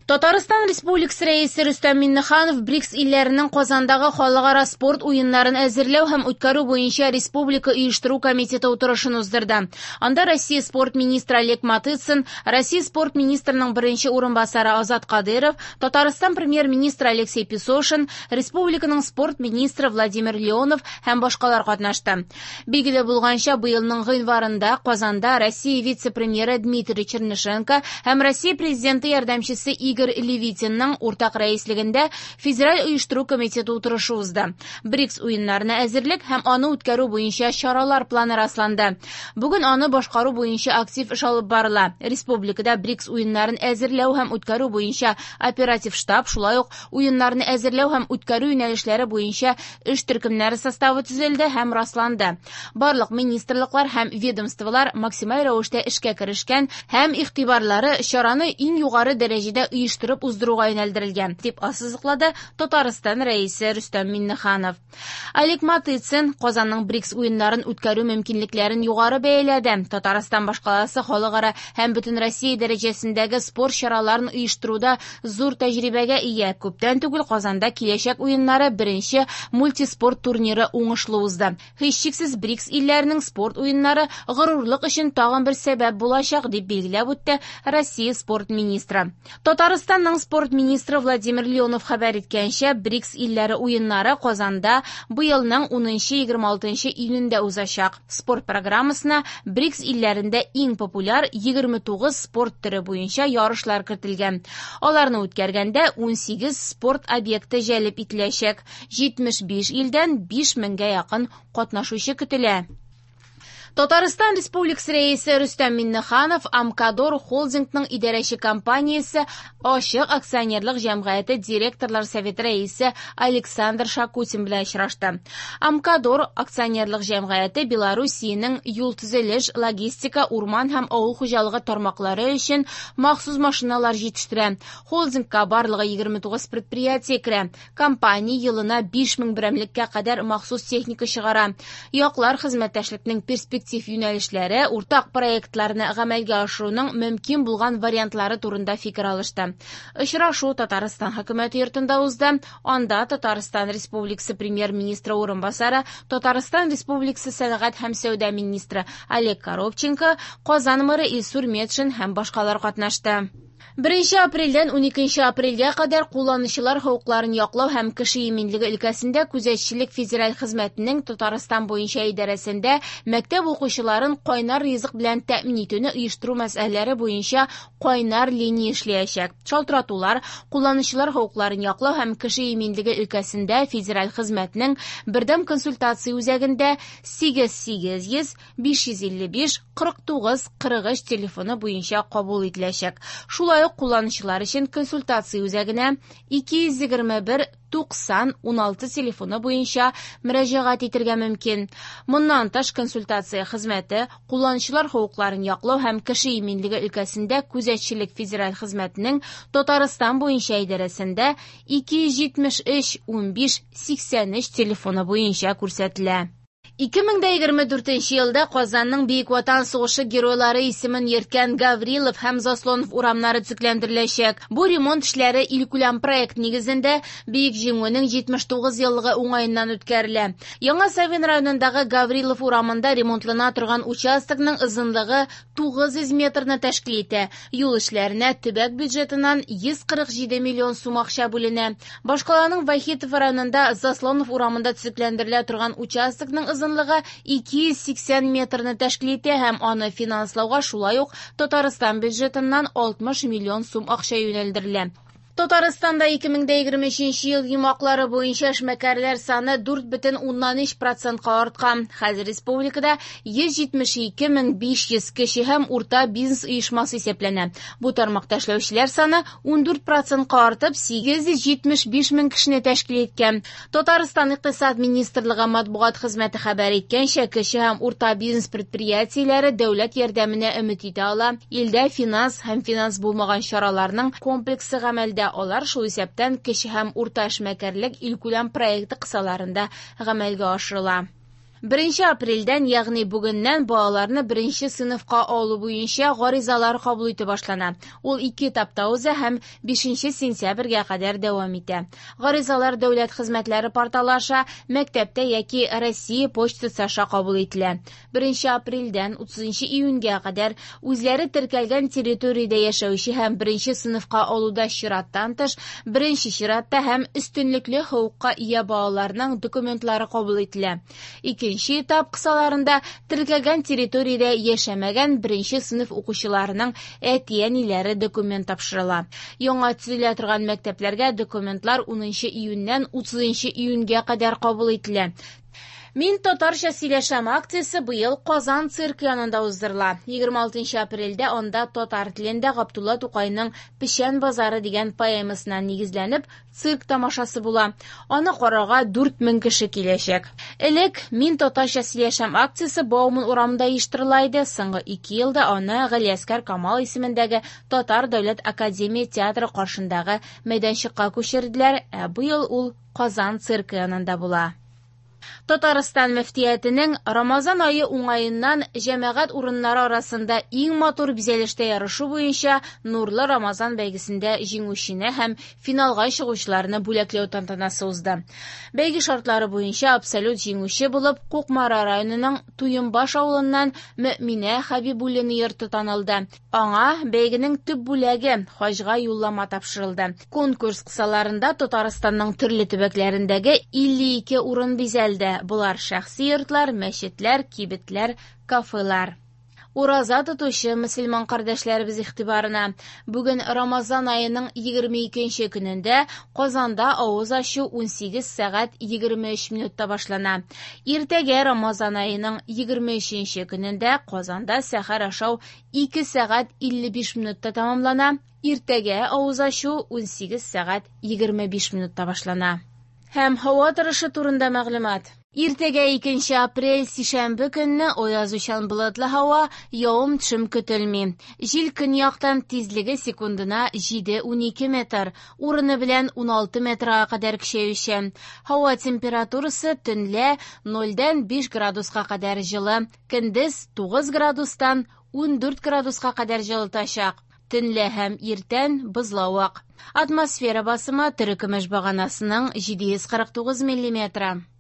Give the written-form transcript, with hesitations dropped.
Татарстан Республикасы Рәисе Рөстәм Миңнеханов БРИКС илләренең Казандагы халыкара спорт уеннарын әзерләү һәм үткәрү буенча республика оештыру комитеты утырышын уздырды. Анда Россия спорт министры Олег Матыцин, Россия спорт министрының беренче урынбасары Азат Кадыров, Татарстан премьер-министры Алексей Песошин, республиканың спорт министры Владимир Леонов һәм башкалар катнашты. Билгеле булганча, быелның гыйнварында Казанда Россия вице-премьеры Дмитрий Чернышенко һәм Россия президенты ярдәмчесе Игорь Левитинның уртак рәислегендә Федераль оештыру комитеты утырышы узды. БРИКС уеннарына әзерлек һәм аны үткәрү буенча чаралар планы расланды. Бүген аны башкару буенча актив эш алып барыла. Республикада БРИКС уеннарын әзерләү һәм үткәрү буенча оператив штаб, шулай ук уеннарны әзерләү һәм үткәрү юнәлешләре буенча эш төркемнәре составы төзелде һәм расланды. Барлык министрлыклар һәм ведомстволар максималь рәвештә эшкә керешкән һәм игътибарлары чараны иң югары дәрәҗәдә оештырып уздыруга юнәлдерелгән, дип ассызыклады Татарстан Рәисе Рөстәм Миңнеханов. Олег Матыцин Казанның БРИКС уеннарын үткәрү мөмкинлекләрен югары бәяләде. Татарстан башкаласы халыкара һәм бөтенроссия дәрәҗәсендәге спорт чараларын оештыруда зур тәҗрибәгә ия. Күптән түгел Казанда киләчәк уеннары беренче мультиспорт турниры уңышлы узды. Һичшиксез БРИКС илләренең спорт уеннары горурлык өчен тагын бер сәбәп булачак, дип билгеләп үтте Россия спорт министры. Татарстанның спорт министры Владимир Леонов хәбәр иткәнчә, БРИКС илләре уеннары Казанда быелның 10-26 июнендә узачак. Спорт программасына БРИКС илләрендә иң популяр 29 спорт төре буенча ярышлар кертелгән. Аларны үткәргәндә 18 спорт объекты җәлеп ителәчәк. 75 илдән 5 меңгә якын катнашучы көтелә. Татарстан Республикасы Рәисе Рөстәм Миңнеханов Амкадор холдингның идарәче компаниясе Ачык акционерлык җәмгыяте директорлар советы рәисе Александр Шакутин белән очрашты. Амкадор акционерлык җәмгыяте Белоруссиянең юл төзелеш, логистика, урман һәм авыл хуҗалыгы тармаклары өчен махсус машиналар җитештерә. Холдингка барлыгы 29 предприятие керә. Компания елына 5000 берәмлеккә кадәр махсус техника чыгара. Яклар хезмәттәшлекнең перспектив юнәлешләре, уртак проектларны гамәлгә ашыруның мөмкин булган вариантлары турында фикер алышты. Очрашу Татарстан хөкүмәте йортында узды. Анда Татарстан Республикасы премьер-министры урынбасары, Татарстан Республикасы сәнәгать һәм сәүдә министры Олег Коробченко, Казан мэры Илсур Метшин һәм башкалар катнашты. 1 апрельдән 12 апрельгә кадәр кулланучылар хокукларын яклау һәм кеше иминлеге өлкәсендә күзәтчелек федераль хезмәтенең Татарстан буенча идарәсендә мәктәп укучыларын кайнар ризык белән тәэмин итүне оештыру мәсьәләләре буенча кайнар линия эшләячәк. Шалтыратулар кулланучылар хокукларын яклау һәм кеше иминлеге өлкәсендә федераль хезмәтнең бердәм консультация үзәгендә 8800 555 49 43 телефоны буенча кабул ителәчәк. Шулай ук кулланучылар өчен консультация үзәгенә 221 90 16 телефоны буенча мөрәҗәгать итәргә мөмкин. Моннан тыш консультация хезмәте кулланучылар хокукларын яклау һәм кеше иминлеге өлкәсендә күзәтчелек федераль хезмәтенең Татарстан буенча идарәсендә 273 15 83 телефоны буенча күрсәтелә. 2024 елда Казанның Бөек Ватан сугышы геройлары исемен йөрткән Гаврилов һәм Заслонов урамнары төзекләндереләчәк. Бу ремонт эшләре илкүләм проект нигезендә Бөек Җиңүнең 79 еллыгы уңаеннан үткәрелә. Яңа Савин районындагы Гаврилов урамында ремонтлана торган участокның озынлыгы 900 метрны тәшкил итә. Юл эшләренә төбәк бюджетыннан 147 миллион сум акча бүленә. Башкаланың Вахитов районында Заслонов урамында төзекләндерелә торган участокның озынлыгы 280 метрны тәшкил итә һәм аны финанслауга шулай ук Татарстан бюджетыннан 60 миллион сум акча юнәлдерелә. Татарстанда 2023 ел йомгаклары буенча эшмәкәрләр саны 4,3%-ка арткан. Хәзер республикада 172 500 кече һәм урта бизнес оешмасы исәпләнә. Бу тармакта эшләүчеләр саны 14%-ка артып 875 мең кешене тәшкил иткән. Татарстан Икътисад министрлыгы матбугат хезмәте хәбәр иткәнчә, кече һәм урта бизнес предприятиеләре дәүләт ярдәменә өмет итә ала. Илдә финанс һәм финанс булмаган чараларның комплексы гамәлдә. Алар шул исәптән кече һәм урта эшмәкәрлек илкүләм проекты кысаларында гамәлгә ашырыла. Беренче апрельдән, ягъни бүгеннән балаларны беренче сыйныфка алу буенча гаризалар кабул итү башлана. Ул ике этапта уза һәм 5 сентябрьгә кадәр дәвам итә. Гаризалар дәүләт хезмәтләре порталы аша, мәктәптә яки Россия почтасы аша кабул ителә. 1 апрельдән 30 июньгә кадәр үзләре теркәлгән территориядә яшәүче һәм беренче сыйныфка алуда чираттан тыш, беренче чиратта һәм өстенлекле хокукка ия балаларның документлары кабул ителә. Икенче этап кысаларында теркәлгән территориядә яшәмәгән беренче сыйныф укучыларының әти-әниләре документ тапшырыла. Яңа төзелә торган мәктәпләргә документлар 10 июньнән 30 июньгә кадәр кабул ителә. Мин татарча сөйләшәм акциясе быел Казан циркы янында уздырыла. 26 апрельдә анда татар телендә Габдулла Тукайның Печән базары дигән поэмасына нигезләнеп цирк тамашасы була. Аны карарга 4000 кеше киләчәк. Элек Мин татарча сөйләшәм акциясе Бауман урамында оештырыла иде. Соңгы 2 елда аны Галиәсгар Камал исемендәге Татар дәүләт академия театры каршындагы мәйданчыкка күчерделәр, ә быел ул Казан циркы янында була. Татарстан мөфтиятенең Рамазан ае уңаеннан җәмәгать урыннары арасында иң матур бизәлештә ярышу буенча Нурлы Рамазан бәйгесендә җиңүчене һәм финалга чыгучыларны бүләкләү тантанасы узды. Бәйге шартлары буенча абсолют җиңүче булып Кукмара районының Туембаш авылыннан Мөминә Хәбибуллина йорты танылды. Аңа бәйгенең төп бүләге хаҗга юллама тапшырылды. Конкурс кысаларында Татарстанның төрле төбәкләрендәге 52 урын бизәлде. Болар шәхси йортлар, мәчетләр, кибетләр, кафелар. Ураза тотучы мөселман кардәшләребез игътибарына. Бүген Рамазан аеның 22 көнендә Казанда авыз ачу 18 сәгать 23 минутта башлана. Иртәгә Рамазан аеның 23 көнендә Казанда сәхәр ашау 2 сәгать 55 минутта тәмамлана. Иртәгә авыз ачу 18 сәгать 25 минутта башлана. Һәм һава торышы турында мәгълүмат. Иртәгә 2 апрель сишәмбе көнне аязучан болытлы һава, явым-төшем көтелми. Җил көньяктан тизлеге секундына 7-12 метр, урыны белән 16 метрга кадәр көчәючән. Һава температурасы төнлә 0-дән 5 градуска кадәр җылы, көндез 9 градустан 14 градуска кадәр җылытачак. Төнлә һәм иртән бозлавык. Атмосфера басымы терекөмеш баганасының 749 миллиметры.